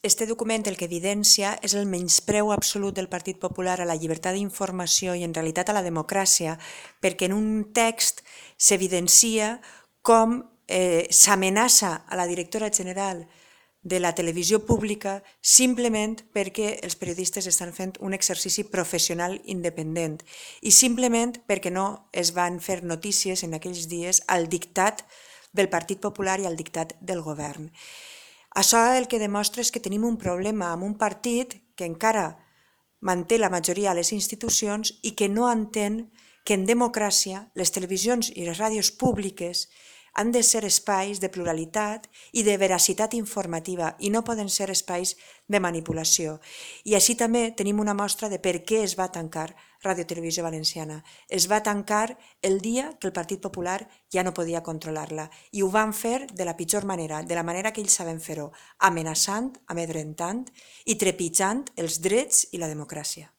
Este document el que evidencia és el menyspreu absolut del Partit Popular a la llibertat d'informació i en realitat a la democràcia, perquè en un text s'evidencia com s'amenaça a la directora general de la televisió pública simplement perquè els periodistes estan fent un exercici professional independent i simplement perquè no es van fer notícies en aquells dies al dictat del Partit Popular i al dictat del govern. Això el que demostra és que tenim un problema amb un partit que encara manté la majoria a les institucions i que no entén que en democràcia les televisions i les ràdios públiques han de ser espais de pluralitat i de veracitat informativa i no poden ser espais de manipulació. I així també tenim una mostra de per què es va tancar Ràdio Televisió Valenciana. Es va tancar el dia que el Partit Popular ja no podia controlar-la i ho van fer de la pitjor manera, de la manera que ells saben fer-ho, amenaçant, amedrentant i trepitjant els drets i la democràcia.